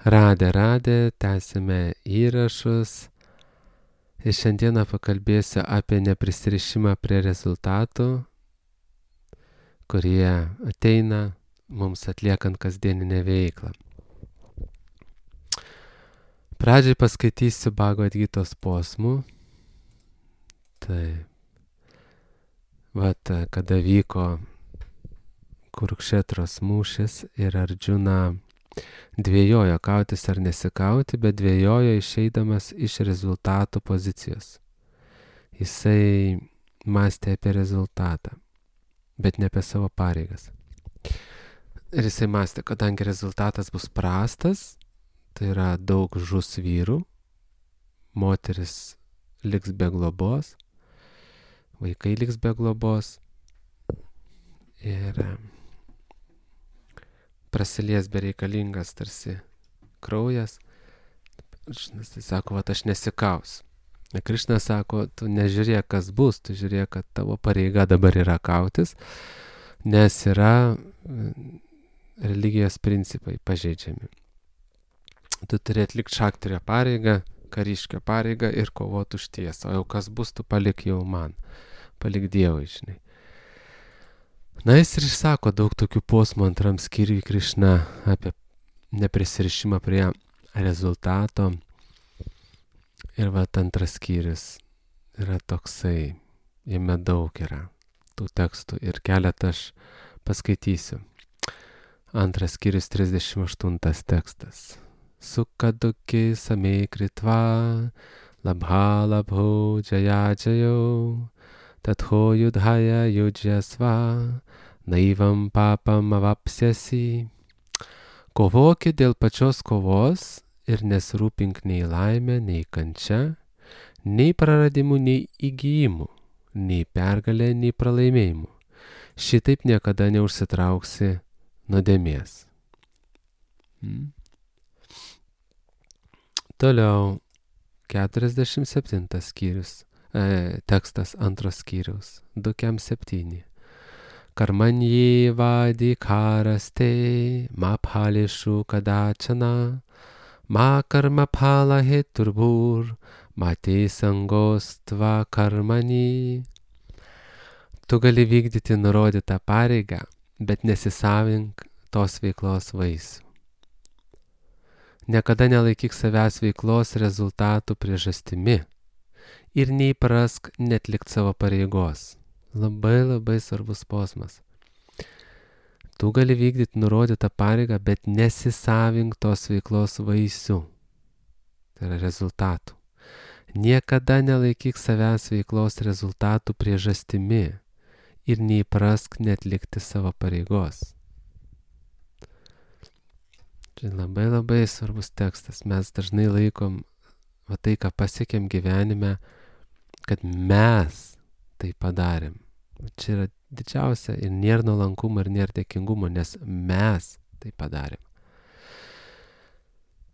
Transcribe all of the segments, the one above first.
Radę, tęsime įrašus. Ir šiandieną pakalbėsiu apie neprisirišimą prie rezultatų, kurie ateina mums atliekant kasdieninę veiklą. Pradžiai paskaitysiu Bhagavad Gitos posmų. Tai, kada vyko Kurukšetros mūšis ir Ardžuna dvėjojo kautis ar nesikauti, bet dvėjojo išeidamas iš rezultatų pozicijos. Jisai mąstė apie rezultatą, bet ne apie savo pareigas. Ir jisai mąstė, kadangi rezultatas bus prastas, tai yra daug žus vyrų, moteris liks be globos, vaikai liks be globos ir prasilies bereikalingas tarsi kraujas. Krišnas tai sako, aš nesikausiu. Krišnas sako, tu nežiūrėk, kas bus, tu žiūrėk, kad tavo pareiga dabar yra kautis, nes yra religijos principai pažeidžiami. Tu turi atlikti šaktario pareigą, kariškio pareigą ir kovoti už tiesą. O jau kas bus, tu palik jau man, palik Dievui, žinai. Na, jis ir išsako daug tokių posmų antram skyriui Krišna apie neprisirišimą prie rezultato. Ir antras skyrius yra toksai, jame daug yra tų tekstų ir keletą aš paskaitysiu. Antras skyrius 38 tekstas. Sukaduki samei kritva, labha labho jaya jayo, tatho yudhaya yujyasva, naivam papam avapsiasi. Kovoki dėl pačios kovos ir nesirūpink nei laimę, nei kančia, nei praradimu, nei įgyjimu, nei pergalė, nei pralaimėjimu. Šitaip niekada neužsitrauksi nuodėmės. Toliau 47 skyrius, tekstas antros skyriaus, 2.7. Karmanyi vadikaraste ma phalishu kadachana, ma karma phala heturbur, ma te sangostva karmani. Tu gali vykdyti nurodytą pareigą, bet nesisavink tos veiklos vaisių. Niekada nelaikyk savęs veiklos rezultatų priežastimi ir neįprask netlikt savo pareigos. Labai svarbus posmas. Tu gali vykdyti nurodytą pareigą, bet nesisavink tos veiklos vaisių. Tai yra rezultatų. Niekada nelaikyk savęs veiklos rezultatų priežastimi ir neįprask netlikti savo pareigos. Tai labai svarbus tekstas. Mes dažnai laikom tai, ką pasiekėm gyvenime, kad mes tai padarėm. Čia yra didžiausia ir nėra nuolankumo ir nėra dėkingumo, nes mes tai padarėm.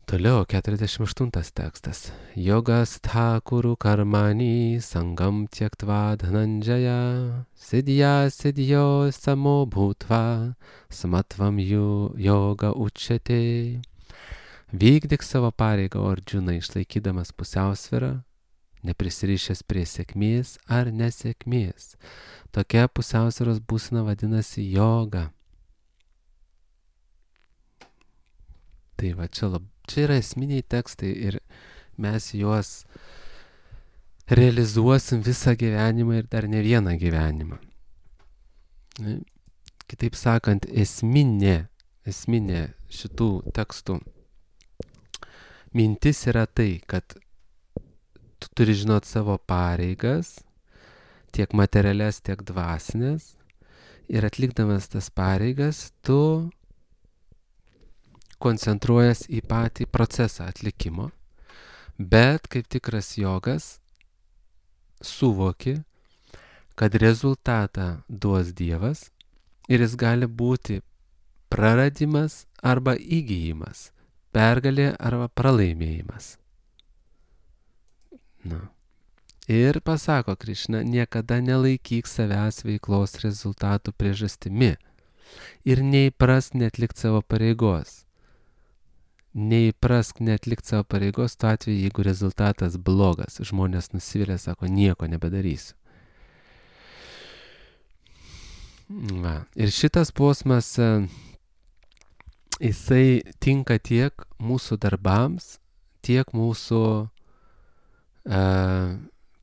Toliau 48 tekstas. Yogastha kuru karmani sangam tyaktva dhananjaya, sidhyo samo bhutva samatvam yoga uchyate. Vykdyk savo pareigą, Ardžuna, išlaikydamas pusiausvyrą, neprisirišęs prie sėkmės ar nesėkmės. Tokia pusiausvyros būsena vadinasi joga. Tai čia yra esminiai tekstai ir mes juos realizuosim visą gyvenimą ir dar ne vieną gyvenimą. Kitaip sakant, esminė šitų tekstų mintis yra tai, kad tu turi žinot savo pareigas, tiek materialias, tiek dvasinės, ir atlikdamas tas pareigas, tu koncentruojas į patį procesą atlikimo, bet kaip tikras jogas suvoki, kad rezultatą duos Dievas ir jis gali būti praradimas arba įgijimas, pergalė arba pralaimėjimas. Ir pasako Krišna, niekada nelaikyk savęs veiklos rezultatų priežastimi ir neįpras netlikt savo pareigos. neįprask neatlikti savo pareigos tuo atveju, jeigu rezultatas blogas. Žmonės nusivylė, sako, nieko nebedarysiu. Va. Ir šitas posmas, jisai tinka tiek mūsų darbams, tiek mūsų,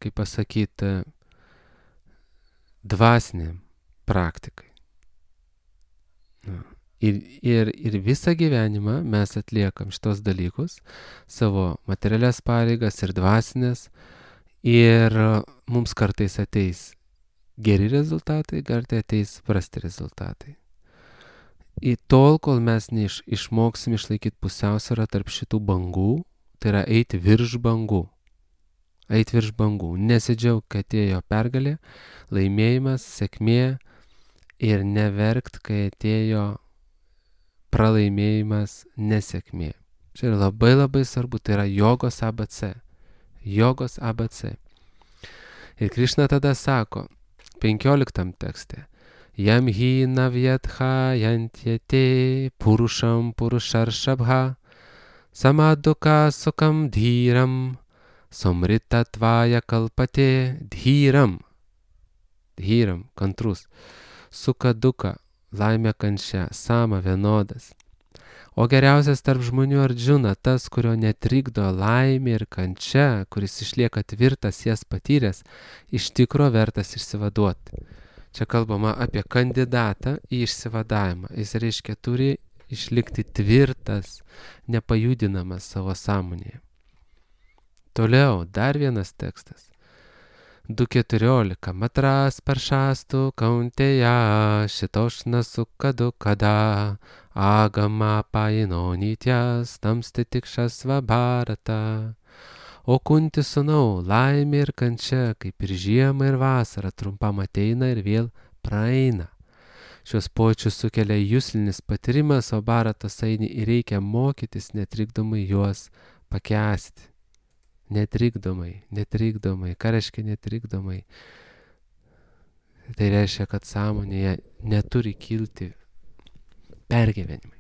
kaip pasakyti, dvasiniam praktikai. Ir visą gyvenimą mes atliekam šitos dalykus, savo materialias pareigas ir dvasinės, ir mums kartais ateis geri rezultatai, kartais ateis prasti rezultatai. Į tol, kol mes išmoksim išlaikyti pusiausvyrą tarp šitų bangų, tai yra eiti virš bangų. Eiti virš bangų. Nesidžiaug, kad atėjo pergalė, laimėjimas, sėkmė ir neverkt, kai atėjo pralaimėjimas, nesėkmė. Čia yra labai labai svarbu, tai yra jogos ABC. Jogos ABC. Ir Krišna tada sako, 15 tekste, Jam hi navyatha yantyate purusham purusharshabha samaduka sukam dhyram somritatvaya kalpate dhyram. Dhyram, kantrus. Suka duka, laimė kančia, sama vienodas. O geriausias tarp žmonių Ardžuna, tas, kurio netrikdo laimė ir kančia, kuris išlieka tvirtas, jas patyręs, iš tikro vertas išsivaduoti. Čia kalbama apie kandidatą į išsivadavimą. Jis reiškia turi išlikti tvirtas, nepajudinamas savo sąmonėje. Toliau, dar vienas tekstas. 2.14. Matras paršastų kauntėja šitošna sukadu kada agama painonytės tamsti tikšas vabarata. O kunti sūnau, laimė ir kančia, kaip ir žiema ir vasara, trumpam ateina ir vėl praeina. Šios pojūčius sukelia juslinis patyrimas, o baratas eini ir reikia mokytis netrikdomai juos pakęsti. Netrikdomai. Ką reiškia netrikdomai? Tai reiškia, kad sąmonėje neturi kilti pergyvenimai.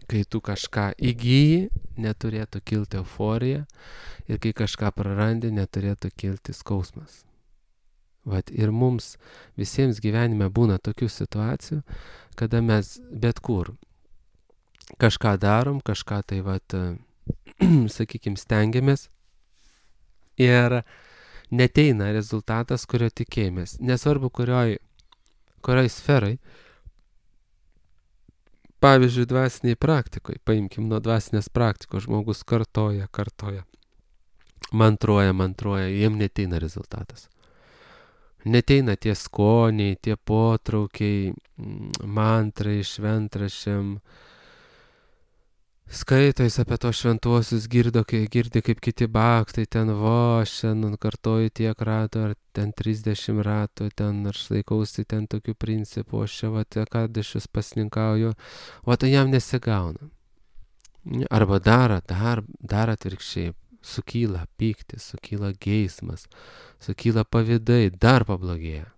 Kai tu kažką įgyji, neturėtų kilti euforija, ir kai kažką prarandi, neturėtų kilti skausmas. Vat ir mums visiems gyvenime būna tokių situacijų, kada mes bet kur kažką darom, kažką tai sakykime, stengiamės ir neteina rezultatas, kurio tikėjomės. Nesvarbu, kurioj sferai. Pavyzdžiui, dvasiniai praktikoje, paimkim nuo dvasinės praktikos, žmogus kartoja, mantruoja, jiem neteina rezultatas. Neteina tie skoniai, tie potraukiai, mantrai, šventraščiam, skaito jis apie tos šventuosius, girdi kaip kiti baktai, ten šiandien kartoju tiek ratų, ar ten 30 ratų, ten aš laikausi ten tokių principų, aš čia kadašius pasninkauju, tai jam nesigauna. Arba dar atvirkščiai, sukyla pyktis, sukyla geismas, sukyla pavydai, dar pablogėja,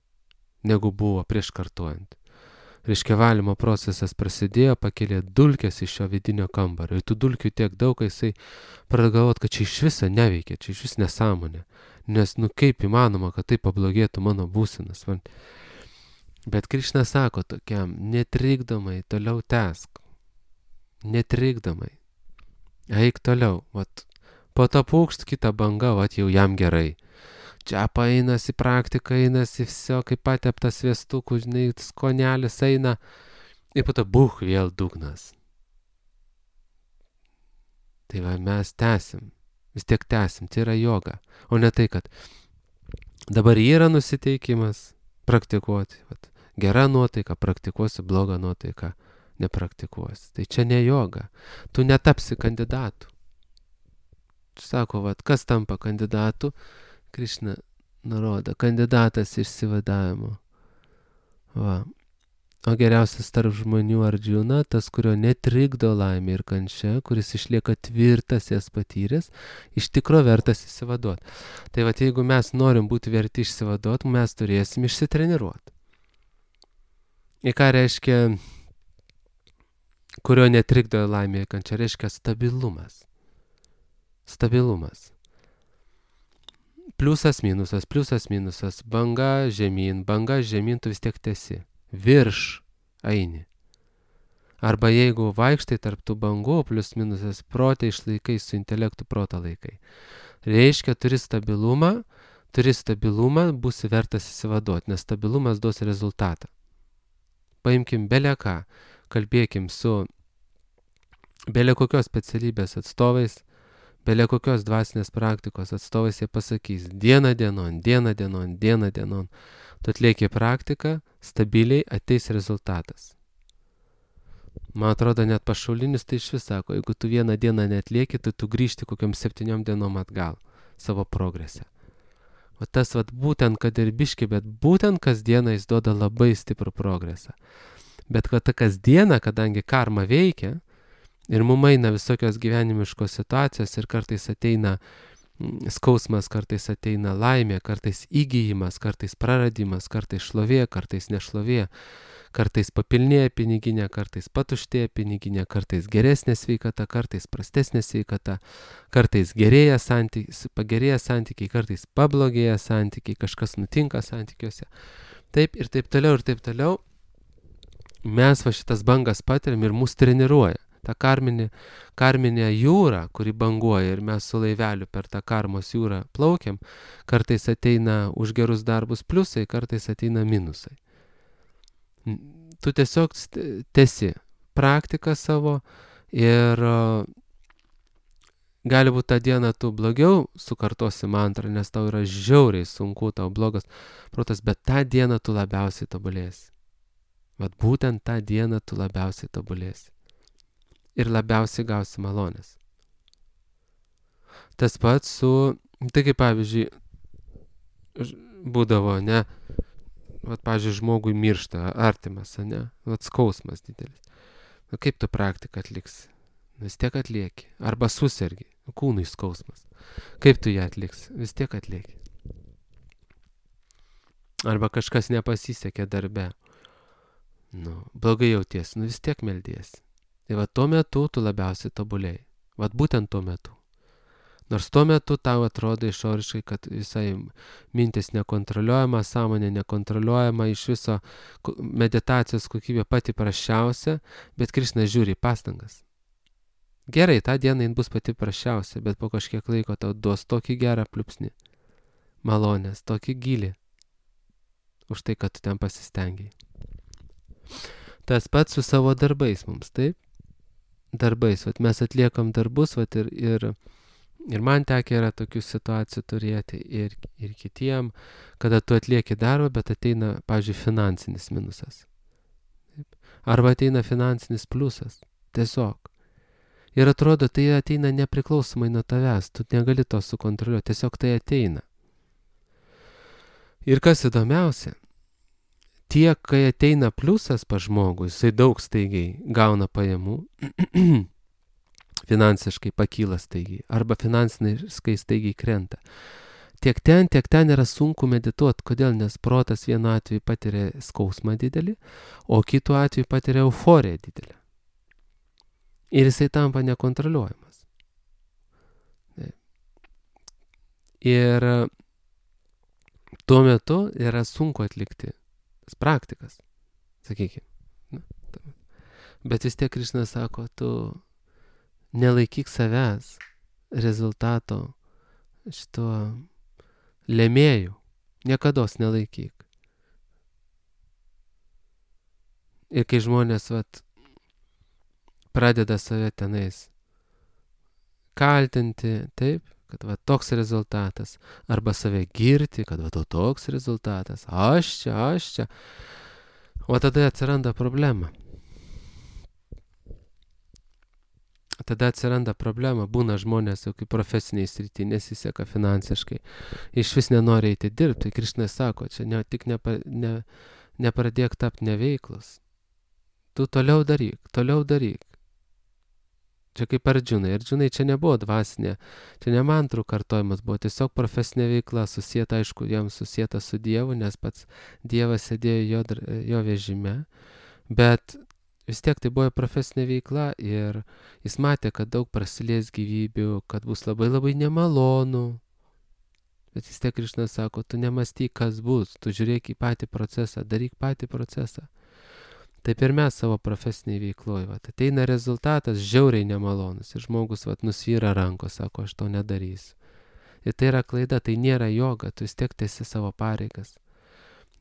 negu buvo prieš kartuojant. Reiškia, valymo procesas prasidėjo, pakėlė dulkes iš šio vidinio kambario. Ir tų dulkių tiek daug, kai jisai pradeda galvoti, kad čia iš viso neveikia, čia iš vis nesąmonė. Nes, kaip įmanoma, kad tai pablogėtų mano būsenas. Bet Krišna sako tokiam, netrikdomai, toliau tęsk. Netrikdomai. Eik toliau. Po to pūkšt kitą bangą, jau jam gerai. Čia einasi praktika, einasi viso, kaip pateptas viestukų, skonelis eina, ir po to vėl dugnas. Tai mes tęsim, vis tiek tęsim, tai yra joga, o ne tai, kad dabar yra nusiteikimas praktikuoti, gera nuotaika praktikuosi, bloga nuotaika nepraktikuosi. Tai čia ne joga, tu netapsi kandidatu. Sako, kas tampa kandidatu? Krišna nurodo, kandidatas išsivadavimo. O geriausias tarp žmonių Ardžuna, tas, kurio netrikdo laimė ir kančia, kuris išlieka tvirtas, jas patyręs, iš tikro vertas išsivaduoti. Tai jeigu mes norim būti verti išsivaduoti, mes turėsim išsitreniruoti. Ir ką reiškia kurio netrikdo laimė ir kančia, reiškia stabilumas. Stabilumas. Pliusas, minusas, banga, žemyn, tu vis tiek tesi. Virš eini. Arba jeigu vaikštai tarp tų bangų, plius minusas, protą išlaikai, su intelektu protą laikai. Reiškia, turi stabilumą, būsi vertas įsivaduoti, nes stabilumas duos rezultatą. Paimkim belę ką, kalbėkim su belė kokios specialybės atstovais, belė kokios dvasinės praktikos atstovais, jie pasakys, diena dienon, tu atlieki praktiką, stabiliai ateis rezultatas. Man atrodo, net pašaulinis tai iš vis sako, jeigu tu vieną dieną neatlieki, tai tu grįžti kokiam 7 dienom atgal savo progrese. O tas būtent, kad ir biški, bet būtent kasdieną jis duoda labai stiprų progresą. Bet ta kasdiena, kadangi karma veikia ir mum eina visokios gyvenimiškos situacijos ir kartais ateina skausmas, kartais ateina laimė, kartais įgijimas, kartais praradimas, kartais šlovė, kartais nešlovė, kartais papilnėja piniginė, kartais patuštėja piniginė, kartais geresnė sveikata, kartais prastesnė sveikata, kartais pagerėja santykiai, kartais pablogėja santykiai, kažkas nutinka santykiuose. Taip ir taip toliau. Mes šitas bangas patiriam ir mus treniruoja. Ta karminė jūra, kuri banguoja ir mes su laiveliu per tą karmos jūrą plaukiam, kartais ateina už gerus darbus pliusai, kartais ateina minusai. Tu tiesiog tesi praktiką savo ir gali būti tą dieną tu blogiau sukartosi mantrą, nes tau yra žiauriai sunku, tau blogas protas, bet tą dieną tu labiausiai tobulėsi. Būtent tą dieną tu labiausiai tobulėsi. Ir labiausiai gausi malonės. Tas pats tai kaip pavyzdžiui, būdavo, ne, pavyzdžiui, žmogui miršta artimas, ne, skausmas didelis. Kaip tu praktiką atliksi? Vis tiek atlieki. Arba susergi, kūnui skausmas. Kaip tu ją atliksi? Vis tiek atlieki. Arba kažkas nepasisekė darbe. Blogai jauties, vis tiek meldiesi. Ir tuo metu tu labiausiai tobulėjai. Būtent tuo metu. Nors tuo metu tau atrodo išoriškai, kad visai mintis nekontroliuojama, sąmonė nekontroliuojama, iš viso meditacijos kokybė pati prasčiausia, bet Krišna žiūri pastangas. Gerai, tą dieną jin bus pati prasčiausia, bet po kažkiek laiko tau duos tokį gerą pliupsnį, malonės, tokį gilį, už tai, kad tu ten pasistengiai. Tas pats su savo darbais mums, taip? Darbais, mes atliekam darbus, ir man tekia yra tokių situacijų turėti, ir kitiem, kada tu atlieki darbą, bet ateina, pavyzdžiui, finansinis minusas. Taip? Arba ateina finansinis pliusas, tiesiog. Ir atrodo, tai ateina nepriklausomai nuo tavęs, tu negali to sukontroliuoti, tiesiog tai ateina. Ir kas įdomiausia, tiek, kai ateina pliusas pas žmogų, jisai daug staigiai gauna pajamų, finansiškai pakyla staigiai, arba finansiškai staigiai krenta. Tiek ten yra sunku medituoti. Kodėl? Nes protas vienu atveju patiria skausmą didelį, o kitu atveju patiria euforiją didelį. Ir jisai tampa nekontroliuojamas. Ir tuo metu yra sunku atlikti praktikas, sakykime. Bet vis tiek Krišna sako, tu nelaikyk savęs rezultato šito lėmėjų, niekados nelaikyk. Ir kai žmonės pradeda save tenais kaltinti, taip, kad toks rezultatas, arba save girti, kad toks rezultatas, aš čia. O tada atsiranda problema. Būna žmonės jau kaip profesiniai srity, nesiseka finansiškai, iš vis nenori eiti dirbti. Krišna sako, čia tik nepradėk tapti neveiklus. Tu toliau daryk. Čia kaip Ardžunai čia nebuvo dvasinė, čia ne mantrų kartojimas, buvo tiesiog profesinė veikla, susieta, aišku, jam susieta su Dievu, nes pats Dievas sėdėjo jo vežime, bet vis tiek tai buvo profesinė veikla ir jis matė, kad daug prasilės gyvybių, kad bus labai labai nemalonu. Bet vis tiek Krišna sako, tu nemąstyk, kas bus, tu žiūrėk į patį procesą, daryk patį procesą. Taip ir mes savo profesiniai veikloj, ateina rezultatas žiauriai nemalonus ir žmogus nusvyra rankos, sako, aš to nedarysiu. Ir tai yra klaida, tai nėra joga, tu vis tiek tęsi savo pareigas.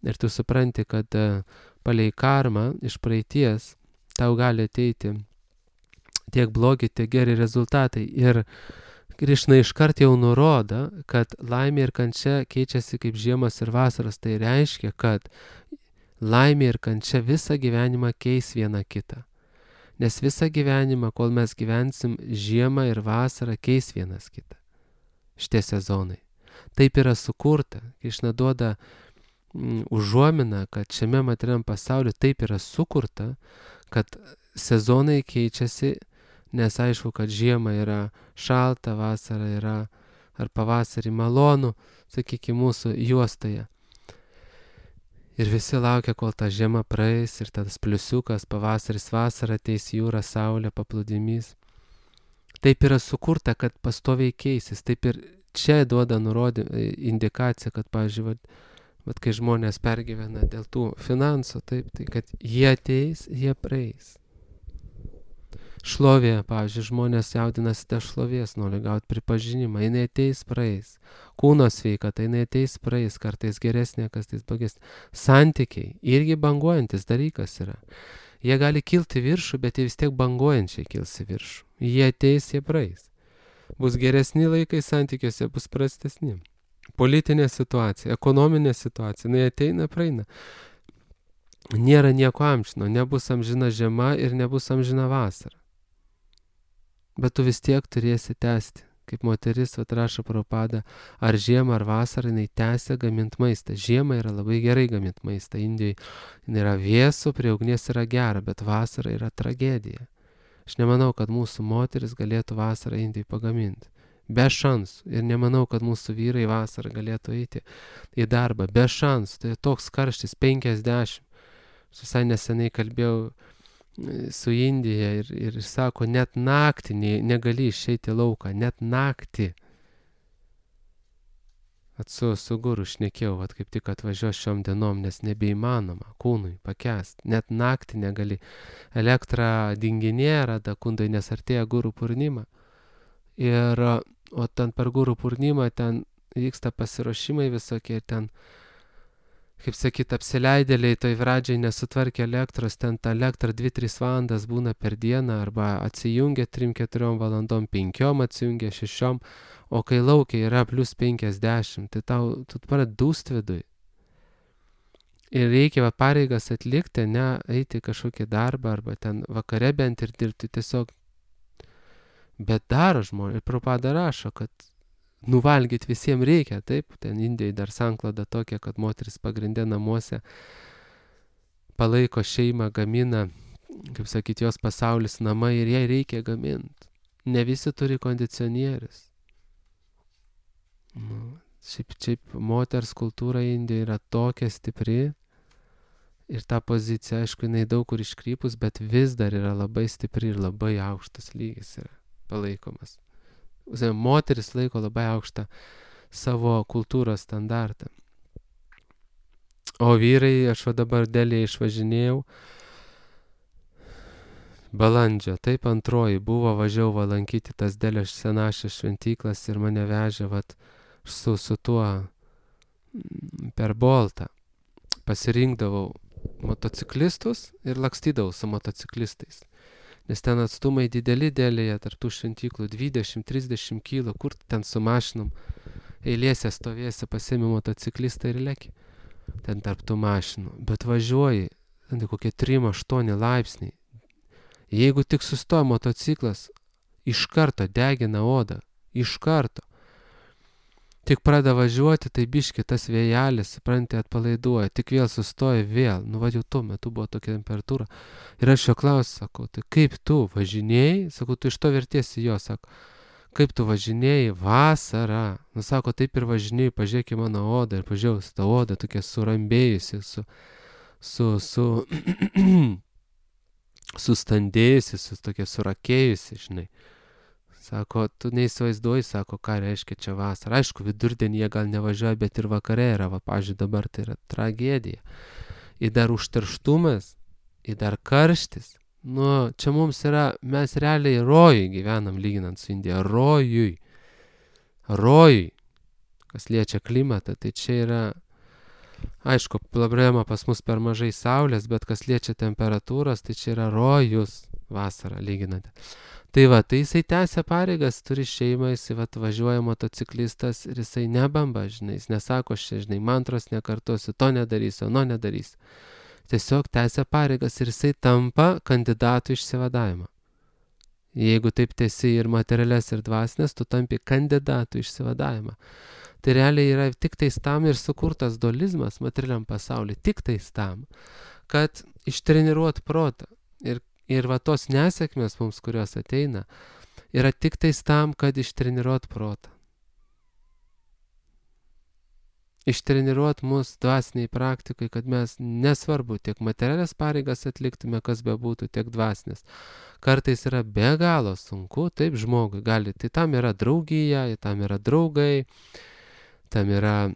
Ir tu supranti, kad palei karmą iš praeities tau gali ateiti tiek blogi, tiek geri rezultatai. Ir Krišna iškart jau nurodo, kad laimė ir kančia keičiasi kaip žiemos ir vasaros. Tai reiškia, kad laimė ir kančia visą gyvenimą keis vieną kitą. Nes visą gyvenimą, kol mes gyvensim, žiemą ir vasarą keis vienas kitą. Šitie sezonai. Taip yra sukurta. Krišna duoda užuominą, kad šiame materialiam pasauliu taip yra sukurta, kad sezonai keičiasi, nes aišku, kad žiema yra šalta, vasara yra ar pavasarį malonu, sakykime, mūsų juostoje. Ir visi laukia, kol ta žiema praeis ir tas pliusiukas, pavasaris, vasara, ateis jūra, saulė, paplūdimys. Taip yra sukurta, kad pastoviai keisis. Taip ir čia duoda indikaciją, kad, pavyzdžiui, kai žmonės pergyvena dėl tų finansų, taip, tai kad jie ateis, jie praeis. Šlovė, pavyzdžiui, žmonės jaudinasi dėl šlovės, nori gauti pripažinimą, jinai ateis, praeis. Kūno sveikata, jinai ateis, praeis, kartais geresnė, kartais blogesnė. Santykiai irgi banguojantis dalykas yra. Jie gali kilti viršų, bet jie vis tiek banguojančiai kils į viršų. Jie ateis, jie praeis. Bus geresni laikai santykiuose, bus prastesni. Politinė situacija, ekonominė situacija, jinai ateina, praeina. Nėra nieko amžino, nebus amžina žiema ir nebus amžina vasara. Bet tu vis tiek turėsi tęsti. Kaip moteris, rašo Prabhupada, ar žiemą, ar vasarą, jinai tęsia gaminti maistą. Žiemą yra labai gerai gaminti maistą. Indijai yra vėsu, prie ugnies yra gera, bet vasara yra tragedija. Aš nemanau, kad mūsų moteris galėtų vasarą Indijai pagaminti. Be šansų. Ir nemanau, kad mūsų vyrai vasarą galėtų eiti į darbą. Be šansų. Tai toks karštis, 50. Visai neseniai kalbėjau su Indija ir sako, net naktį negali išeiti lauką, net naktį. Su guru šnekėjau, kaip tik atvažiuos šiom dienom, nes nebeįmanoma kūnui pakęsti. Net naktį negali. Elektra dinginėja rada kundai, nes artėja guru purnima. O ten per guru purnimą ten vyksta pasiruošimai visokie, ten kaip sakyt, apsileidėliai toj pradžiai nesutvarkė elektros, ten ta elektra 2-3 valandas būna per dieną, arba atsijungia 3-4 valandom, 5 atsijungia 6, o kai laukia yra plus 50, tai tu pradedi dūst viduj. Ir reikia pareigas atlikti, ne eiti kažkokį darbą, arba ten vakare bent ir dirbti tiesiog. Bet daro žmonės, ir Prabhupada rašo, kad nuvalgyti visiems reikia, taip, ten Indijai dar sankloda tokia, kad moteris pagrindė namuose palaiko šeimą, gamina, kaip sakyti, jos pasaulis namai ir jai reikia gaminti. Ne visi turi kondicionierius. Šiaip moters kultūra Indijoje yra tokia stipri ir ta pozicija, aišku, jinai daug kur iškrypus, bet vis dar yra labai stipri ir labai aukštas lygis yra palaikomas. Moteris laiko labai aukštą savo kultūros standartą. O vyrai, aš dabar Delį išvažinėjau, balandžio, taip 2 buvo, važiavau lankyti tas Delio senašės šventyklas ir mane vežė su tuo per Boltą. Pasirinkdavau motociklistus ir lakstydavau su motociklistais. Nes ten atstumai dideli Delėje, tarp tų šventyklų 20-30 kilo, kur ten su mašinom eilėse stovėsi, pasiemi motociklistą ir leki. Ten tarp tų mašinų. Bet važiuoji, ten kokie 3-8 laipsniai. Jeigu tik sustoja motociklas, iš karto degina odą. Iš karto. Tik pradeda važiuoti, tai biški tas vėjelis, supranti, atpalaiduoja. Tik vėl sustoja, vėl. Jau tuo metu buvo tokia temperatūra. Ir aš jo klausiu, sakau, tai kaip tu važinėjai? Sakau, tu iš to vertiesi jo, sako. Kaip tu važinėjai vasarą? Sako, taip ir važinėjai, pažiūrėk į mano odą. Ir pažiūrėjau, ta oda tokia surambėjusi, sustandėjusi, tokia surakėjusi, žinai. Sako, tu neįsivaizduoji, sako, ką reiškia čia vasara. Aišku, vidurdienį jie gal nevažiuoja, bet ir vakare yra, va, pavyzdžiui, dabar tai yra tragedija. Ir dar užterštumas, ir dar karštis. Nu, čia mums yra, mes realiai rojui gyvenam lyginant su Indija. Rojui. Kas liečia klimatą, tai čia yra, aišku, problema pas mus per mažai saulės, bet kas liečia temperatūros, tai čia yra rojus vasarą lyginant. Tai va, tai jisai tęsia pareigas, turi šeimą, jisai važiuoja motociklistas ir jisai nebamba, žinai, jis nesako, žinai, mantros nekartosiu, to nedarysiu, ano nedarysiu. Tiesiog tęsia pareigas ir jisai tampa kandidatu išsivadavimą. Jeigu taip tiesi ir materialias, ir dvasinės, tu tampi kandidatu išsivadavimą. Tai realiai yra tik tais tam ir sukurtas dualizmas materialiam pasauliu, tik tais tam, kad ištreniruot protą. Ir va tos nesėkmės mums, kurios ateina, yra tik tais tam, kad ištreniruot protą. Ištreniruot mus dvasiniai praktikai, kad mes nesvarbu tiek materialias pareigas atliktume, kas bebūtų, tiek dvasinės. Kartais yra be galo sunku, taip žmogui gali, tai tam yra draugija, tam yra draugai, tam yra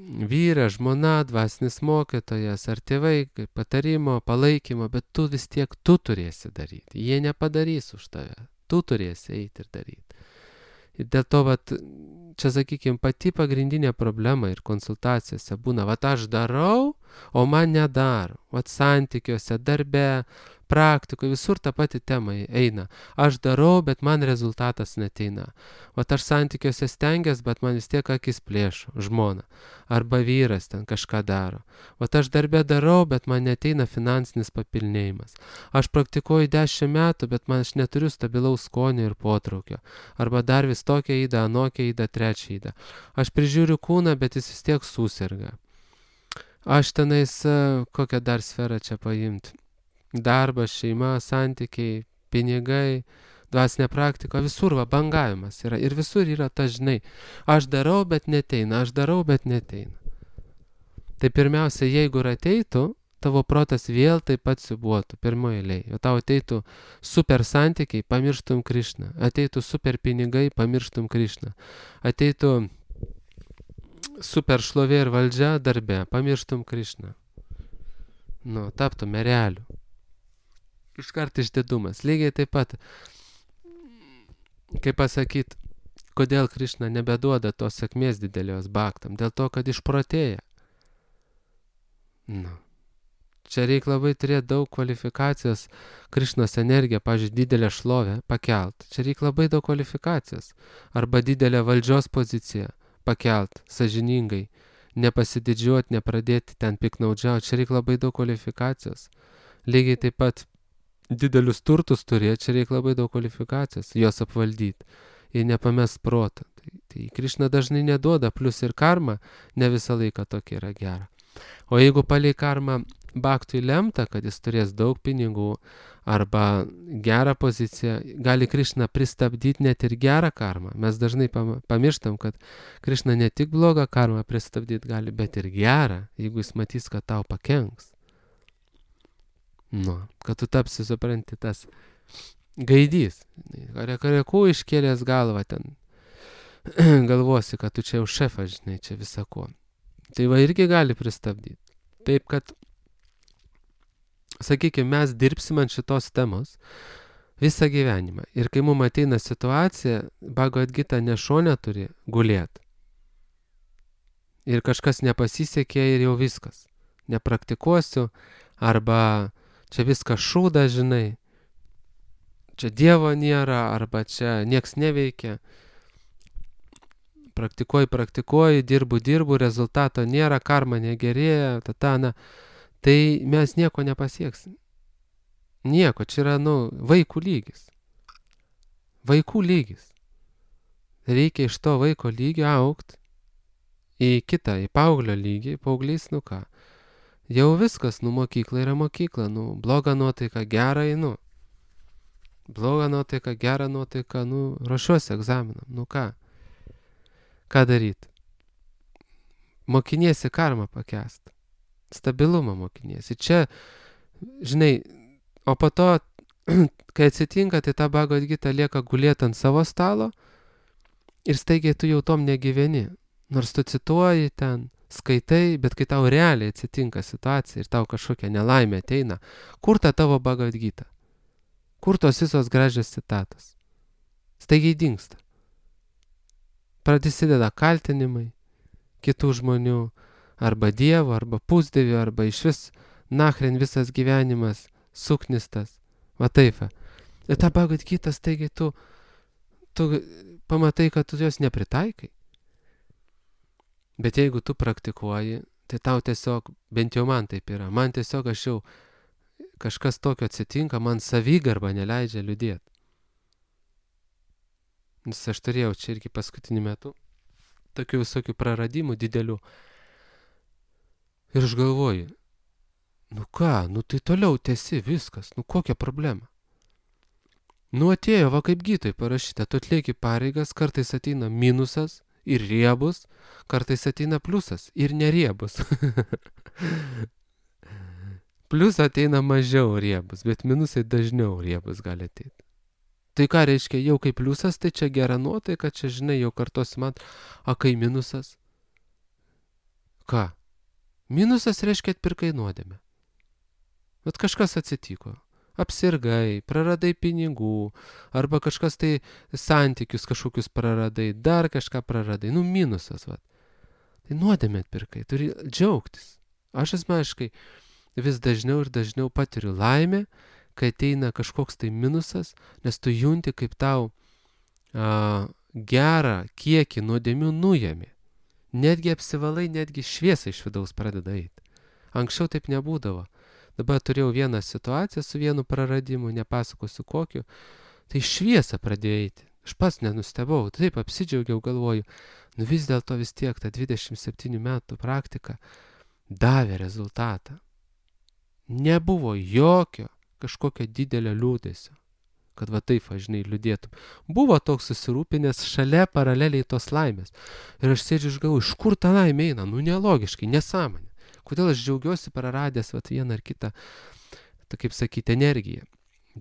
vyras, žmona, dvasinis mokytojas ar tėvai, patarimo, palaikymo, bet tu vis tiek tu turėsi daryti. Jie nepadarys už tave. Tu turėsi eiti ir daryti. Ir dėl to, vat, čia, sakykime, pati pagrindinė problema ir konsultacijose būna, vat aš darau, o man nedaro. Vat santykiuose, darbe, praktikoje, visur ta pati tema eina. Aš darau, bet man rezultatas neteina. Vat aš santykiuose stengiuosi, bet man vis tiek akis plėšo, žmona. Arba vyras ten kažką daro. Vat aš darbe darau, bet man neteina finansinis papilnėjimas. Aš praktikuoju 10 metų, bet man aš neturiu stabilaus skonio ir potraukio. Arba dar vis tokia įda, anokia įda, trečia įda. Aš prižiūriu kūną, bet jis vis tiek susirga. Aš tenais, kokią dar sferą čia paimti. Darbas, šeima, santykiai, pinigai, dvasinė praktika, visur va, bangavimas yra. Ir visur yra ta, žinai, aš darau, bet neteina, aš darau, bet neteina. Tai pirmiausia, jeigu ir ateitų, tavo protas vėl taip pat siubuotų, pirmoje eilėje. O tau ateitų super santykiai, pamirštum Krišną. Ateitų super pinigai, pamirštum Krišną. Ateitų super šlovė ir valdžia darbe, pamirštum Krišną. Nu, taptum ereliu. Iškart išdidumas. Lygiai taip pat, kaip pasakyti, kodėl Krišna nebeduoda tos sėkmės didelios bhaktam. Dėl to, kad išprotėja. Nu. Čia reikia labai turėti daug kvalifikacijos Krišnos energiją, pavyzdžiui, didelę šlovę pakelt. Čia reikia labai daug kvalifikacijos. Arba didelę valdžios poziciją pakelt, sąžiningai. Nepasididžiuoti, nepradėti ten piknaudžiauti. Čia reikia labai daug kvalifikacijos. Lygiai taip pat didelius turtus turėti, čia reikia labai daug kvalifikacijos, juos apvaldyti ir nepamest protą. Tai Krišna dažnai neduoda, plus ir karma ne visą laiką tokia yra gera. O jeigu palei karmą bhaktui lemta, kad jis turės daug pinigų arba gerą poziciją, gali Krišna pristabdyti net ir gerą karmą. Mes dažnai pamirštam, kad Krišna ne tik blogą karmą pristabdyti gali, bet ir gerą, jeigu jis matys, kad tau pakenks. Nu, kad tu tapsi, supranti, tas gaidys. Karekų iškėlęs galvą ten. Galvosi, kad tu čia jau šefas, žinai, čia visako. Tai va irgi gali pristabdyti. Taip, kad, sakykime, mes dirbsim ant šitos temos visą gyvenimą. Ir kai mums ateina situacija, Bhagavad Gita ne šone turi gulėti. Ir kažkas nepasisekė ir jau viskas. Nepraktikuosiu, arba čia viskas šūda, žinai, čia Dievo nėra, arba čia nieks neveikia. Praktikuoju, dirbu, rezultato nėra, karma negerėja, tatana. Tai mes nieko nepasieksim. Nieko, čia yra, vaikų lygis. Vaikų lygis. Reikia iš to vaiko lygio augti į kitą, į paauglio lygį, paauglys, ką. Jau viskas, mokykla yra mokykla, bloga nuotaika, gera einu. Bloga nuotaika, gera nuotaika, ruošiuosi egzaminam, ką? Ką daryti? Mokiniesi karmą pakęsti. Stabilumą mokiniesi. Čia, žinai, o po to kai atsitinka, tai ta Bhagavad Gita lieka gulėti ant savo stalo ir staigiai tu jau tom negyveni. Nors tu cituoji ten, skaitai, bet kai tau realiai atsitinka situacija ir tau kažkokia nelaimė ateina, kur ta tavo Bhagavad Gita? Kur tos visos gražios citatos? Staigiai dingsta. Prasideda kaltinimai kitų žmonių, arba Dievo, arba pusdievių, arba iš vis nachren visas gyvenimas suknistas. Va taip. Ir ta Bhagavad Gita staigiai tu pamatai, kad tu jos nepritaikai. Bet jeigu tu praktikuoji, tai tau tiesiog, bent jau man taip yra, man tiesiog kažkas tokio atsitinka, man savigarba neleidžia liūdėti. Nes aš turėjau čia irgi paskutiniu metu tokių visokių praradimų didelių. Ir aš galvoju, tai toliau tęsi viskas, kokia problema? Atėjo, va kaip Gitoj parašyta, tu atlieki pareigas, kartais ateina minusas ir riebus, kartais ateina pliusas ir neriebus. Plius ateina mažiau riebus, bet minusai dažniau riebus gali ateiti. Tai ką reiškia, jau kaip pliusas, tai čia gera nuotaika, čia žinai, jau kartosi man, o kai minusas? Ką? Minusas reiškia atpirkai nuodėmę. Bet kažkas atsitiko. Apsirgai, praradai pinigų, arba kažkas tai santykius kažkokius praradai, dar kažką praradai. Minusas, va. Tai nuodėmę atpirkai, turi džiaugtis. Aš asmeniškai vis dažniau ir dažniau patiriu laimę, kai ateina kažkoks tai minusas, nes tu junti, kaip tau gerą kiekį nuodėmių nuėmė. Netgi apsivalai, netgi šviesa iš vidaus pradeda eiti. Anksčiau taip nebūdavo. Dabar turėjau vieną situaciją su vienu praradimu, nepasakosiu kokiu, tai šviesa pradėjo eiti. Aš pats nenustebau, taip apsidžiaugiau, galvoju, vis dėlto vis tiek ta 27 metų praktika davė rezultatą. Nebuvo jokio kažkokio didelio liūdesio, kad va taip, žinai, liūdėtum. Buvo toks susirūpinęs šalia paraleliai tos laimės. Ir aš sėdžiu ir galvoju, iš kur ta laimė eina? Nelogiškai, nesąmonė. Kodėl aš džiaugiuosi praradęs vieną ar kitą, kaip sakyti, energiją.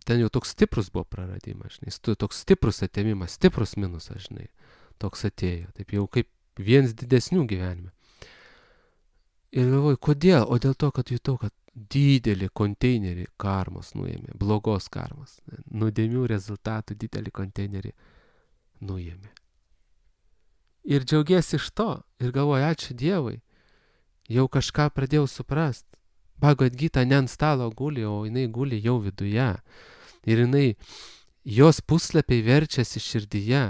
Ten jau toks stiprus buvo praradimas, žinai, toks stiprus atėmimas, stiprus minusas, žinai, toks atėjo, taip jau kaip vienas didesnių gyvenime. Ir galvoju, kodėl? O dėl to, kad jutau, kad didelį konteinerį karmos nuėmė, blogos karmos, nuodėmių rezultatų didelį konteinerį nuėmė. Ir džiaugiesi iš to, ir galvoju, ačiū Dievui, jau kažką pradėjau suprast. Bhagavad Gita ne ant stalo guli, o jinai guli jau viduje. Ir jos puslapiai verčiasi širdyje.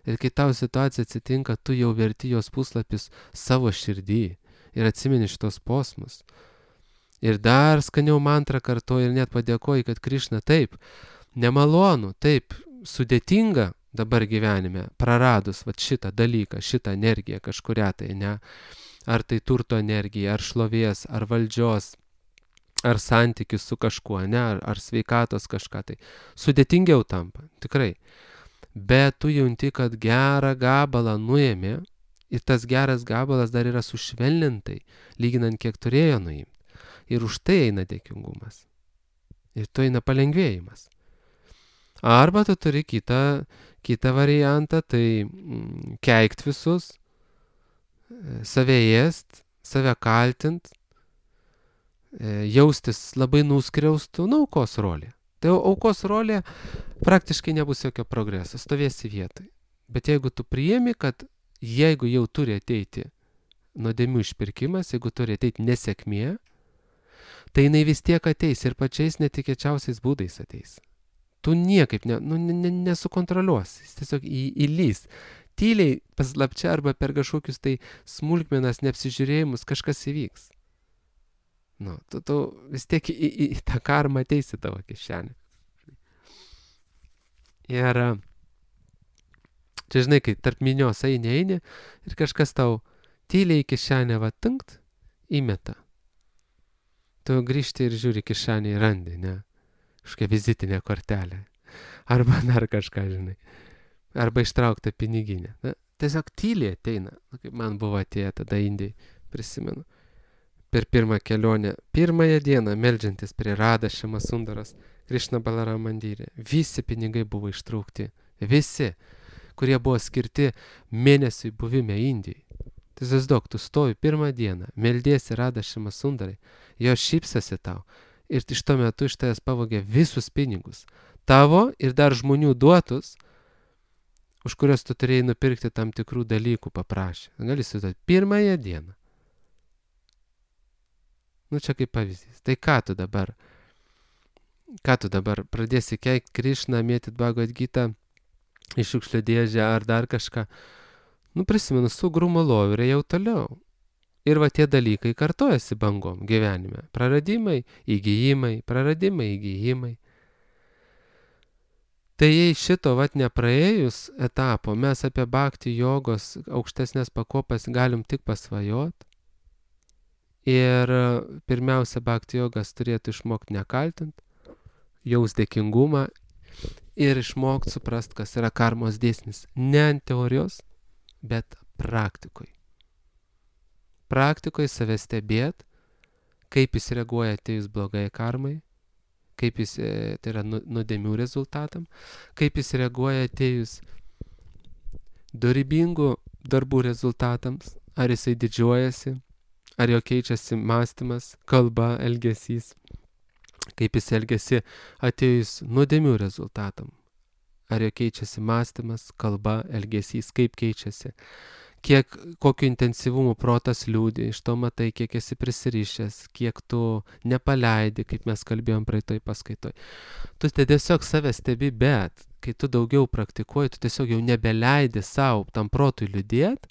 Ir kai tau situacija atsitinka, tu jau verti jos puslapius savo širdį ir atsimeni šitos posmus. Ir dar skaniau mantrą kartoji ir net padėkoji, kad Krišna taip, nemalonu, taip, sudėtinga dabar gyvenime, praradus šitą dalyką, šitą energiją kažkurią tai, ne? Ar tai turto energija, ar šlovės, ar valdžios, ar santykis su kažkuo, ne? Ar sveikatos kažką tai. Sudėtingiau tampa, tikrai. Bet tu junti, kad gerą gabalą nuėmė ir tas geras gabalas dar yra sušvelnintai, lyginant kiek turėjo nuimti. Ir už tai eina dėkingumas. Ir tu eina palengvėjimas. Arba tu turi kitą variantą, tai keikt visus, save ėst, save kaltint, jaustis labai nuskriaustų, aukos rolė. Tai aukos rolė praktiškai nebus jokio progreso, stovėsi vietoj. Bet jeigu tu priimi, kad jeigu jau turi ateiti nuodėmių išpirkimas, jeigu turi ateiti nesėkmė, tai jinai vis tiek ateis ir pačiais netikėčiausiais būdais ateis. Tu niekaip nesukontroliuosi, jis tiesiog įlys. Tyliai, paslapčia arba per kažkokius tai smulkmenas, neapsižiūrėjimus kažkas įvyks. Tu vis tiek į tą karmą ateisi tavo kišenę. Ir čia žinai, kai tarp minios eini ir kažkas tau tyliai į kišenę tinkt, įmeta. Tu grįžti ir žiūri kišenį ir randi, ne? Kažkokia vizitinė kortelė. Arba dar kažką, žinai. Arba ištraukta piniginė. Tiesiog tyliai ateina. Kaip man buvo atėję tada Indijai, prisimenu. Per pirmą kelionę, pirmąją dieną, meldžiantis prie Radha Šiama Sundaros Krišna Balaram mandyre. Visi pinigai buvo ištraukti. Visi, kurie buvo skirti mėnesiui buvime Indijai. Tai įsivaizduok, tu stovi pirmą dieną, meldiesi Radha Šima Sundarai, jos šypsasi tau ir iš to metu iš tavęs pavogė visus pinigus. Tavo ir dar žmonių duotus, už kurios tu turėjai nupirkti tam tikrų dalykų paprašė. Gali įsivaizduoti, pirmąją dieną. Nu čia kaip pavyzdys. Tai ką tu dabar? Ką tu dabar pradėsi keikti Krišną, mėtyt Bhagavad Gitą į šiukšlių dėžę ar dar kažką? Nu prisimenu, su Grumalovu ir jau toliau. Ir va tie dalykai kartojasi bangom gyvenime. Praradimai, įgyjimai, praradimai, įgyjimai. Tai jei šito vat nepraėjus etapo, mes apie bhakti jogos aukštesnės pakopas galim tik pasvajot. Ir pirmiausia, bhakti jogas turėtų išmokti nekaltint, jaus dėkingumą ir išmokti suprast, kas yra karmos dėsnis. Ne ant teorijos, bet praktikoje. Praktikoje save stebėt, kaip jis reaguoja atėjus blogai karmai, kaip jis, tai yra nuodėmių rezultatam, kaip jis reaguoja atėjus dorybingų darbų rezultatams, ar jisai didžiuojasi, ar jo keičiasi mąstymas, kalba, elgesys, kaip jis elgesi atėjus nuodėmių rezultatam, ar jo keičiasi mąstymas, kalba, elgesys, kaip keičiasi, kiek, kokiu intensyvumu protas liūdi, iš to matai, kiek esi prisirišęs, kiek tu nepaleidi, kaip mes kalbėjom praeitoj paskaitoj. Tu tiesiog save stebi, bet kai tu daugiau praktikuoji, tu tiesiog jau nebeleidi savo tam protui liūdėt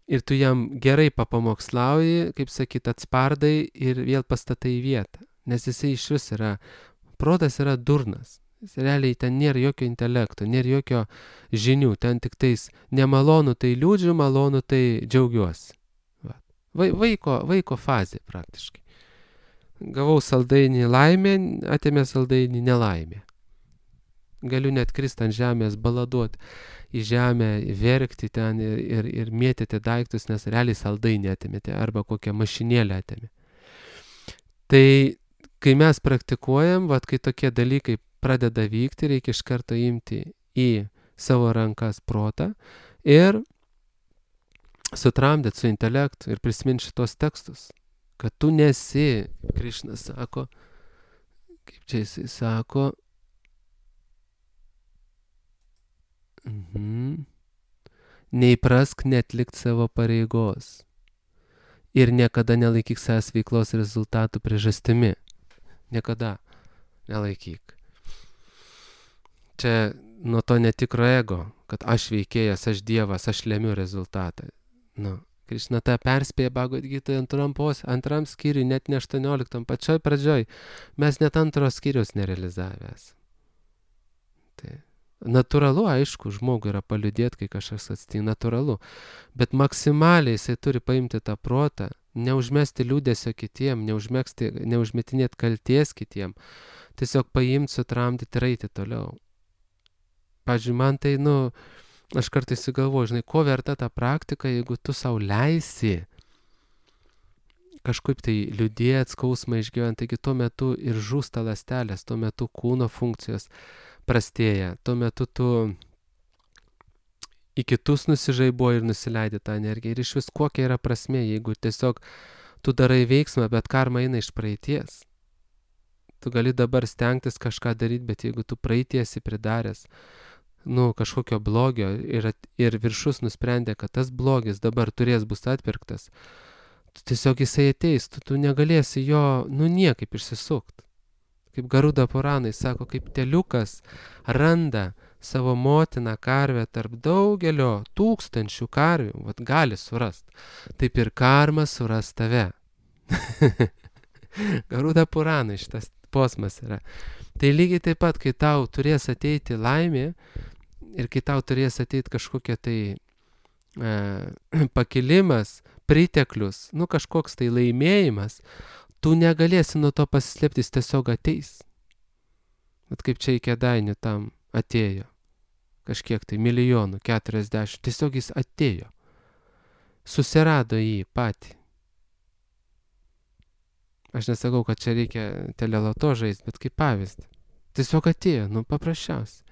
ir tu jam gerai papamokslauji, kaip sakyt, atspardai ir vėl pastatai į vietą. Nes jisai iš vis yra, protas yra durnas. Realiai ten nėra jokio intelekto, nėra jokio žinių, ten tik tais nemalonu tai liūdžiu, malonu tai džiaugiuosi. Vaiko fazė praktiškai. Gavau saldainį laimę, atėmė saldainį nelaimę. Galiu net kristi ant žemės, baladuoti į žemę, verkti ten ir mėtyti daiktus, nes realiai saldainį atėmėte arba kokią mašinėlę atėmė. Tai kai mes praktikuojam, kai tokie dalykai pradeda vykti, reikia iš karto imti į savo rankas protą ir sutramdyti su intelektu ir prisiminti šitos tekstus, kad tu nesi, Krišna sako, kaip čia jisai sako, neįprask netlikti savo pareigos ir niekada nelaikyk savęs veiklos rezultatų priežastimi. Niekada nelaikyk. Čia nuo to netikro ego, kad aš veikėjas, aš dievas, aš lemiu rezultatą. Krišna tą perspėja Bhagavad Gitoje antram skyriui, net ne 18, pačioj pradžioj. Mes net antro skyriaus nerealizavęs. Tai natūralu, aišku, žmogui yra paliūdėti, kai kažkas atsitinka, natūralu. Bet maksimaliai jisai turi paimti tą protą, neužmesti liūdesio kitiem, neužmetinėti kalties kitiem, tiesiog paimti, sutramdyti ir eiti toliau. Pavyzdžiui, man tai, aš kartais įgalvoju, žinai, ko verta ta praktika, jeigu tu sau leisi kažkaip tai liūdėti, skausmą išgyventi, taigi tuo metu ir žūsta ląstelės, tuo metu kūno funkcijos prastėja, tuo metu tu į kitus nusižaibuoji ir nusileidi tą energiją. Ir iš vis kokia yra prasmė, jeigu tiesiog tu darai veiksmą, bet karma eina iš praeities. Tu gali dabar stengtis kažką daryti, bet jeigu tu praeitiesi pridaręs, kažkokio blogio ir viršus nusprendė, kad tas blogis dabar bus atpirktas, tiesiog jisai ateis, tu negalėsi jo, niekaip išsisukti. Kaip Garuda Puranai sako, kaip teliukas randa savo motiną karvę tarp daugelio tūkstančių karvių, gali surast. Taip ir karma suras tave. Garuda Puranai šitas posmas yra. Tai lygiai taip pat, kai tau turės ateiti laimė ir kai tau turės ateiti kažkokia tai pakilimas, priteklius, kažkoks tai laimėjimas, tu negalėsi nuo to pasislėpti, jis tiesiog ateis. Bet kaip čia į Kėdainių tam atėjo, kažkiek tai milijonų, 40, tiesiog jis atėjo, susirado jį patį. Aš nesakau, kad čia reikia teleloto žaisti, bet kaip pavyzdį. Tiesiog atėjo, paprasčiausiai.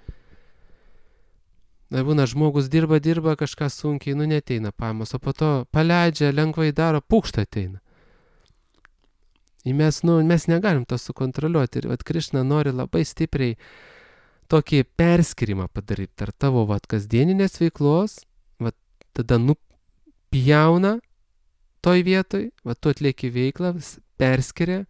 Na, būna, žmogus dirba, kažką sunkiai, neteina pajamos, o po to paleidžia, lengvai daro, pūkšta ateina. Ir mes negalim to sukontroliuoti. Ir Krišna nori labai stipriai tokį perskirimą padaryti tarp tavo kasdieninės veiklos, tada pjauna toj vietoj, tu atlieki veiklą, perskiria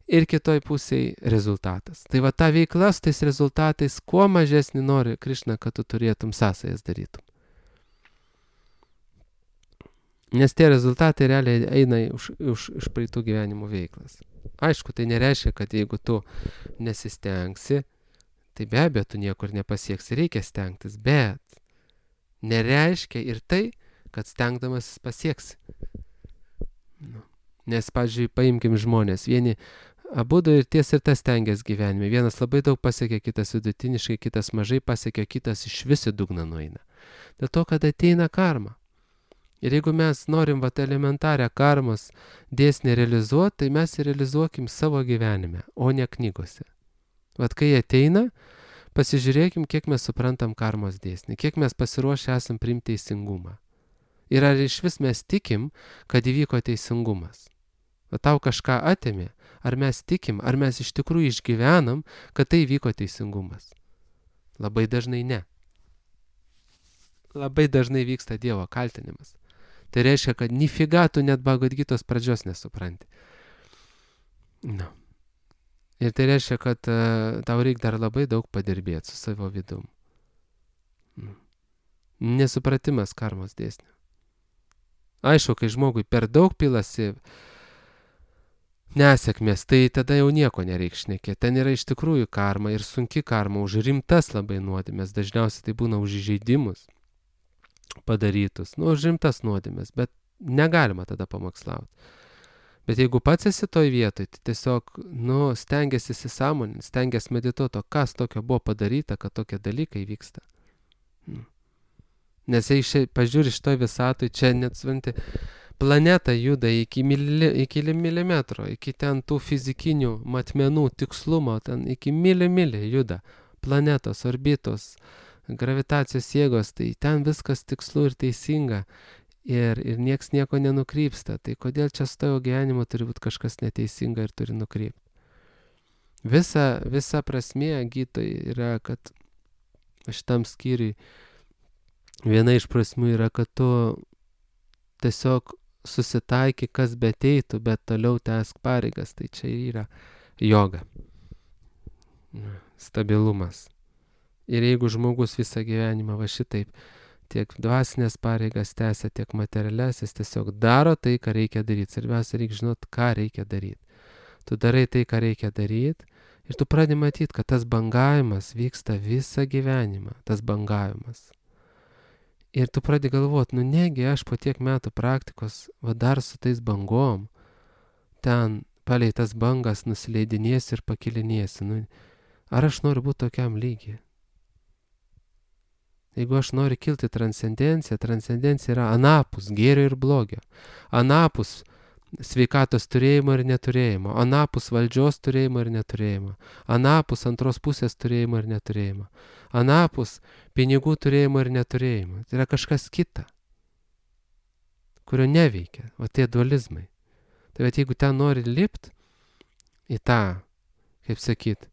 ir kitoj pusėje rezultatas. Tai ta veikla su tais rezultatais kuo mažesnį nori Krišna, kad tu turėtum sąsajas darytum. Nes tie rezultatai realiai eina iš praeitų gyvenimų veiklas. Aišku, tai nereiškia, kad jeigu tu nesistengsi, tai be abejo, tu niekur nepasieksi, reikia stengtis, bet nereiškia ir tai, kad stengdamas pasieksi. Nes, pavyzdžiui, paimkim žmonės, vieni abudu ir ties ir tas stengiasi gyvenime. Vienas labai daug pasiekia, kitas vidutiniškai, kitas mažai pasiekia, kitas iš visi dugną nueina. Dėl to, kad ateina karma. Ir jeigu mes norim elementarią karmos dėsnį realizuoti, tai mes realizuokim savo gyvenime, o ne knygose. Kai ateina, pasižiūrėkim, kiek mes suprantam karmos dėsnį, kiek mes pasiruošę esam priimti teisingumą. Ir ar iš vis mes tikim, kad įvyko teisingumas. Tau kažką atėmė, ar mes tikim, ar mes iš tikrųjų išgyvenam, kad tai vyko teisingumas. Labai dažnai ne. Labai dažnai vyksta Dievo kaltinimas. Tai reiškia, kad nifiga tu net Bhagavad Gitos pradžios nesupranti. Ir tai reiškia, kad tau reikia dar labai daug padirbėti su savo vidum. Nesupratimas karmos dėsnio. Aišku, kai žmogui per daug pilasi nesėkmės, tai tada jau nieko nereikia šnekėti. Ten yra iš tikrųjų karma ir sunki karma už rimtas labai nuodėmės. Dažniausiai tai būna už įžeidimus padarytus. Už rimtas nuodėmės, bet negalima tada pamokslauti. Bet jeigu pats esi toj vietoj, tai tiesiog, stengiasi įsisąmoninti, stengiasi medituoti, kas tokio buvo padaryta, kad tokie dalykai vyksta. Nes jei pažiūri šitoj visatoj, čia net svanti, planeta juda iki milimetro, iki ten tų fizikinių matmenų tikslumo, ten iki milį juda planetos, orbitos, gravitacijos jėgos, tai ten viskas tikslu ir teisinga ir nieks nieko nenukrypsta. Tai kodėl čia su tavo gyvenimu turi būti kažkas neteisinga ir turi nukrypti? Visa prasmė gytoj yra, kad šitam skyriui viena iš prasmių yra, kad tu tiesiog susitaiky, kas beteitų, bet toliau tęsk pareigas. Tai čia yra joga. Stabilumas. Ir jeigu žmogus visą gyvenimą šitaip tiek dvasinės pareigas tęsia, tiek materialias, jis tiesiog daro tai, ką reikia daryti. Svarbiausia, reikia žinoti, ką reikia daryti. Tu darai tai, ką reikia daryti ir tu pradedi matyti, kad tas bangavimas vyksta visą gyvenimą. Tas bangavimas. Ir tu pradedi galvoti, negi aš po tiek metų praktikos dar su tais bangom ten palei tas bangas nusileidinėsiu ir pakilinėsiu. Ar aš noriu būti tokiam lygiai? Jeigu aš noriu kilti transcendenciją, transcendencija yra anapus gėrio ir blogio, anapus sveikatos turėjimo ir neturėjimo, anapus valdžios turėjimo ir neturėjimo, anapus antros pusės turėjimo ir neturėjimo, anapus pinigų turėjimo ir neturėjimo. Tai yra kažkas kita, kurio neveikia, o tie dualizmai. Tai jeigu ten nori lipti į tą, kaip sakyt,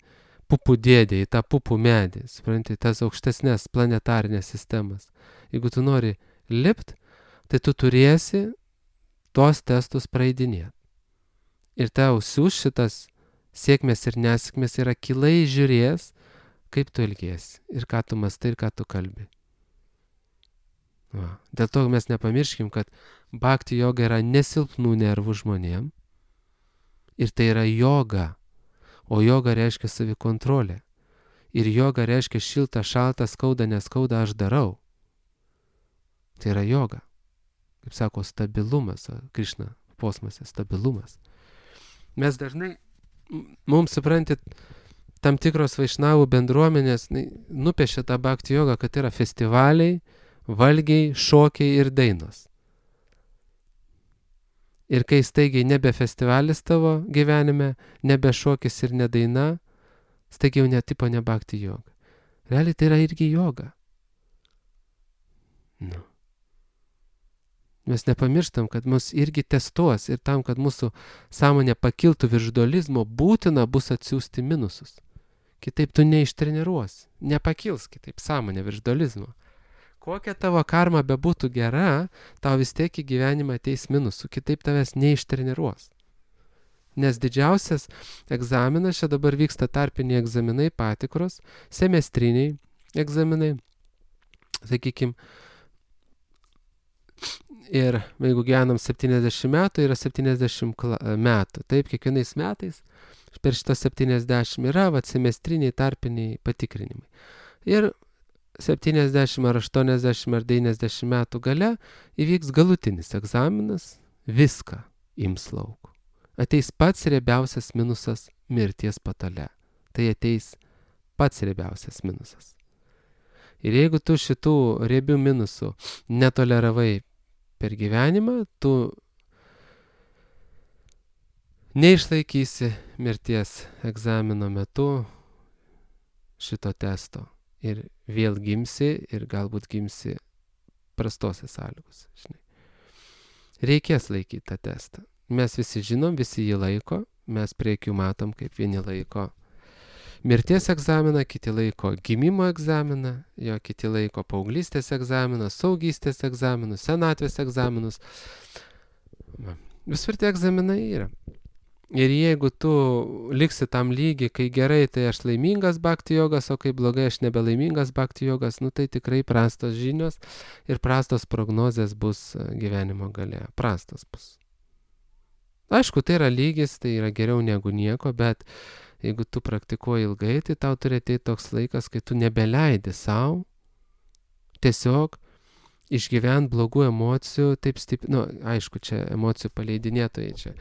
pupų dėdė, į tą pupų medį, supranti, tas aukštesnės planetarinės sistemas. Jeigu tu nori lipt, tai tu turėsi tos testus praeidinėti. Ir tau siūs šitas sėkmės ir nesėkmės yra akylai žiūrės, kaip tu elgiesi ir ką tu mastai ir ką tu kalbi. Dėl to mes nepamirškim, kad bhakti joga yra nesilpnų nervų žmonėm ir tai yra joga. O joga reiškia savikontrolė. Ir joga reiškia šilta, šalta, skauda, neskauda, aš darau. Tai yra joga. Kaip sako, stabilumas. Krišna posmose, stabilumas. Mes dažnai, mums suprantit, tam tikros vaišnavų bendruomenės nupiešia tą bhakti jogą, kad yra festivaliai, valgiai, šokiai ir dainos. Ir kai staigiai nebe festivalis tavo gyvenime, nebe šokis ir ne daina, staigiai jau netipo ne bhakti joga. Realiai tai yra irgi joga. Nu. Mes nepamirštam, kad mus irgi testuos ir tam, kad mūsų sąmonė pakiltų virš dualizmo, būtina bus atsiųsti minusus. Kitaip tu neištreniruosi, nepakils kitaip sąmonė virš dualizmo. Kokia tavo karma bebūtų gera, tau vis tiek į gyvenimą ateis minusų, kitaip tavęs neištreniruos. Nes didžiausias egzaminas, čia dabar vyksta tarpiniai egzaminai, patikros, semestriniai egzaminai, sakykime, ir jeigu gyvenam 70 metų, yra 70 metų. Taip, kiekvienais metais per šitos 70 yra semestriniai tarpiniai patikrinimai. Ir 70 ar 80 ar 90 metų gale įvyks galutinis egzaminas, viską ims lauk. Ateis pats riebiausias minusas mirties patale. Tai ateis pats riebiausias minusas. Ir jeigu tu šitų riebių minusų netoleravai per gyvenimą, tu neišlaikysi mirties egzamino metu šito testo. Ir vėl gimsi ir galbūt gimsi prastose sąlygose. Reikės laikyti tą testą. Mes visi žinom, visi jį laiko, mes prie akių matom, kaip vieni laiko mirties egzaminą, kiti laiko gimimo egzaminą, jo kiti laiko paauglystės egzaminą, saugystės egzaminus, senatvės egzaminus. Visur tie egzaminai yra. Ir jeigu tu liksi tam lygi, kai gerai, tai aš laimingas bhakti jogas, o kai blogai, aš nebelaimingas bhakti jogas, nu tai tikrai prastos žinios ir prastos prognozės bus gyvenimo gale. Prastos bus. Aišku, tai yra lygis, tai yra geriau negu nieko, bet jeigu tu praktikuoji ilgai, tai tau turi ateiti toks laikas, kai tu nebeleidi savo tiesiog išgyvent blogų emocijų, taip stipriai, aišku, čia emocijų paleidinėtojai čia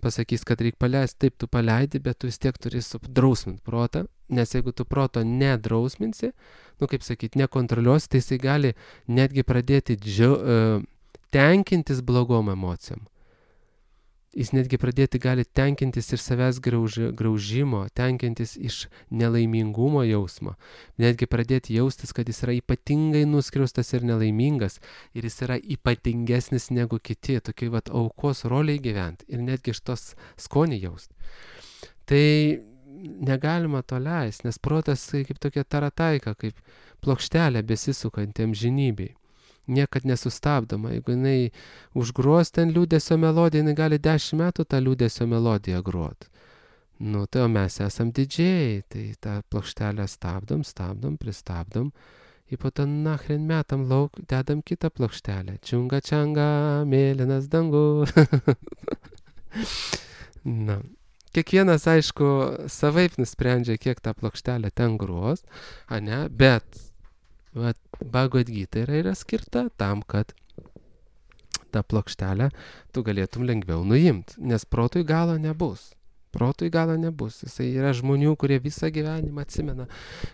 pasakys, kad reikia paleisti, taip tu paleidi, bet tu vis tiek turi drausminti protą, nes jeigu tu proto nedrausminsi, kaip sakyti, nekontroliuosi, tai jisai gali netgi pradėti tenkintis blogom emocijom. Jis netgi pradėti gali tenkintis iš savęs graužimo, tenkintis iš nelaimingumo jausmo, netgi pradėti jaustis, kad jis yra ypatingai nuskriaustas ir nelaimingas ir jis yra ypatingesnis negu kiti, tokiai aukos roliai gyventi ir netgi iš tos skonį jausti. Tai negalima to leisti, nes protas kaip tokia tarataika, kaip plokštelė besisukanti amžinybei. Niekad nesustabdoma. Jeigu jinai užgros ten liūdesio melodiją, jinai gali 10 metų tą liūdesio melodiją grot. Tai o mes esam didžėjai, tai tą plokštelę stabdom, pristabdom, ir po to nachren metam lauk, dedam kitą plokštelę. Čiunga čianga, mėlynas dangu. Kiekvienas, aišku, savaip nusprendžia, kiek tą plokštelę ten gros, bet Bhagavad Gita yra skirta tam, kad tą plokštelę tu galėtum lengviau nuimti, nes protui galo nebus. Jisai yra žmonių, kurie visą gyvenimą atsimena,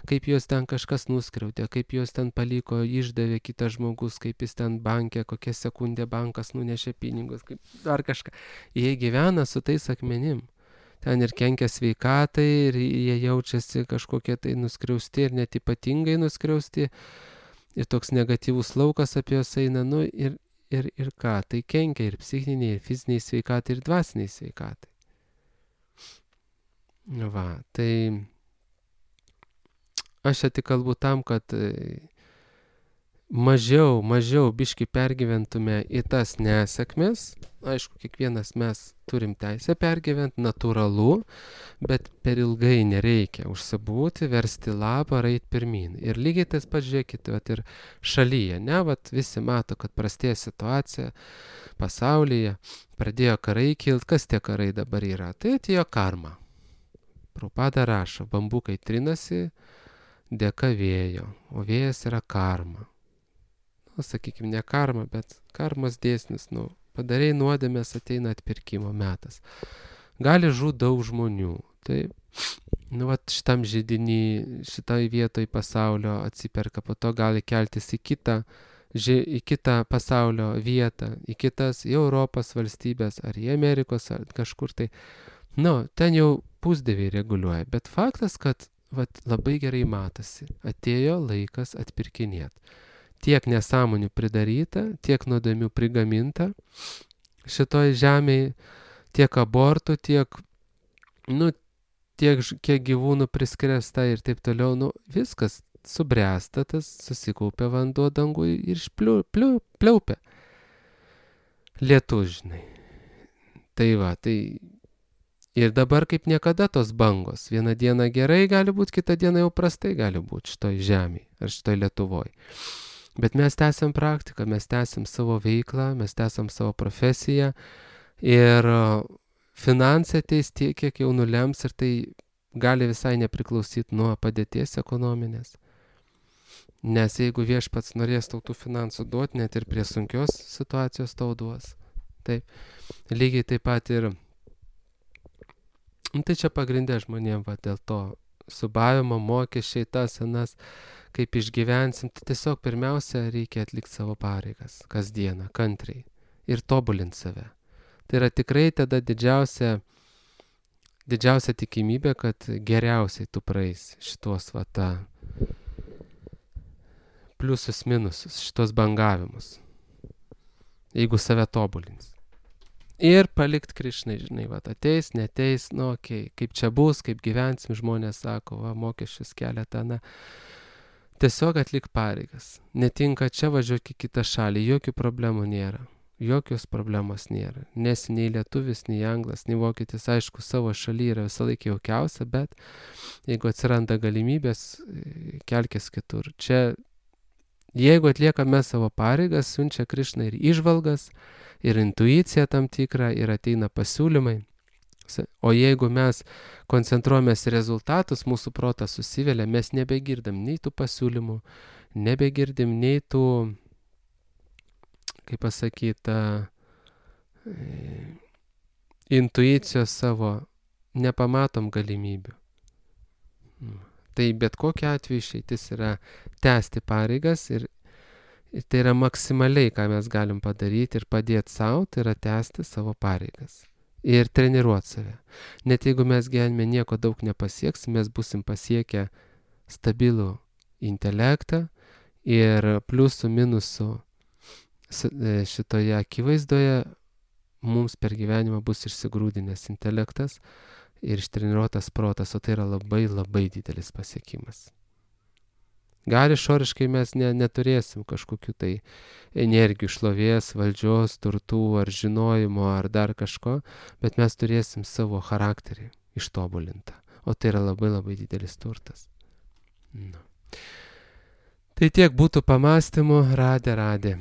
kaip juos ten kažkas nuskriaudė, kaip juos ten paliko, išdavė kitas žmogus, kaip jis ten bankė, kokią sekundę bankas nunešė pinigus, kaip dar kažką. Jie gyvena su tais akmenim. Ten ir kenkia sveikatai, ir jie jaučiasi kažkokie tai nuskriausti ir net ypatingai nuskriausti. Ir toks negatyvus laukas apie juos eina, ir ką, tai kenkia ir psichiniai, ir fiziniai sveikatai, ir dvasiniai sveikatai. Tai aš čia tik kalbu tam, kad mažiau biškį pergyventume į tas nesėkmes. Aišku, kiekvienas mes turim teisę pergyventi, natūralu, bet per ilgai nereikia užsibūti, versti lapą, eit pirmyn. Ir lygiai tas pats, žiūrėkite, ir šalyje, visi mato, kad prastėja situacija pasaulyje, pradėjo karai kilt, kas tie karai dabar yra? Tai atėjo karma. Prabhupada rašo, bambukai trinasi dėka vėjo, o vėjas yra karma. Sakykime, ne karma, bet karmos dėsnis, padarei nuodėmės, ateina atpirkimo metas. Gali žūti daug žmonių, taip, šitam židinį, šitai vietoj pasaulio atsiperka, po to gali keltis į kitą į kitą pasaulio vietą, į Europos valstybės, ar į Amerikos, ar kažkur tai. Ten jau pusdieviai reguliuoja, bet faktas, kad labai gerai matosi, atėjo laikas atpirkinėti. Tiek nesąmonių pridaryta, tiek nuodėmių prigaminta šitoj žemėje, tiek abortų, tiek kiek gyvūnų priskresta ir taip toliau, viskas subręsta, tas susikaupia vanduo dangui ir pliaupia. Lietus, žinai. Tai ir dabar kaip niekada tos bangos. Vieną dieną gerai gali būti, kitą dieną jau prastai gali būti šitoj žemėje ar šitoj Lietuvoj. Bet mes tęsiam praktiką, mes tęsiam savo veiklą, mes tęsiam savo profesiją ir finansai ateis tiek, kiek jau nulems ir tai gali visai nepriklausyti nuo padėties ekonominės. Nes jeigu viešpats norės tau tų finansų duoti, net ir prie sunkios situacijos tau duos. Taip, lygiai taip pat ir tai čia pagrindė žmonėm, dėl to subavimo, mokesčiai, tas, anas, kaip išgyvensim, tai tiesiog pirmiausia reikia atlikti savo pareigas, kasdieną, kantriai ir tobulinti save. Tai yra tikrai tada didžiausia tikimybė, kad geriausiai tu praeisi šitos pliusus, minusus, šitos bangavimus, jeigu save tobulins. Ir palikt Krišnai, žinai, ateis, neteis, okei, kaip čia bus, kaip gyvensim, žmonės sako, mokesčius keletą, tiesiog atlik pareigas. Netinka čia, važiuok į kitą šalį, jokių problemų nėra. Jokios problemos nėra. Nesi nei lietuvis, nei anglas, nei vokietis, aišku, savo šalyje yra visą laiką jaukiausia, bet jeigu atsiranda galimybės, kelkis kitur. Čia, jeigu atliekame savo pareigas, siunčia Krišna ir įžvalgas, ir intuicija tam tikra, ir ateina pasiūlymai. O jeigu mes koncentruojamės į rezultatus, mūsų protas susivelia, mes nebegirdim nei tų pasiūlymų, nebegirdim nei tų, kaip pasakyta, intuicijos savo, nepamatom galimybių. Tai bet kokiu atveju išeitis yra tęsti pareigas ir tai yra maksimaliai, ką mes galim padaryti ir padėti savo, tai yra tęsti savo pareigas. Ir treniruoti save. Net jeigu mes gyvenime nieko daug nepasieksim, mes busim pasiekę stabilų intelektą ir pliusų, minusų šitoje akivaizdoje mums per gyvenimą bus išsigrūdinęs intelektas ir ištreniruotas protas, o tai yra labai labai didelis pasiekimas. Gal išoriškai mes neturėsim kažkokių tai energijų, šlovės, valdžios, turtų ar žinojimo ar dar kažko, bet mes turėsim savo charakterį ištobulintą. O tai yra labai labai didelis turtas. Tai tiek būtų pamastymų, radė.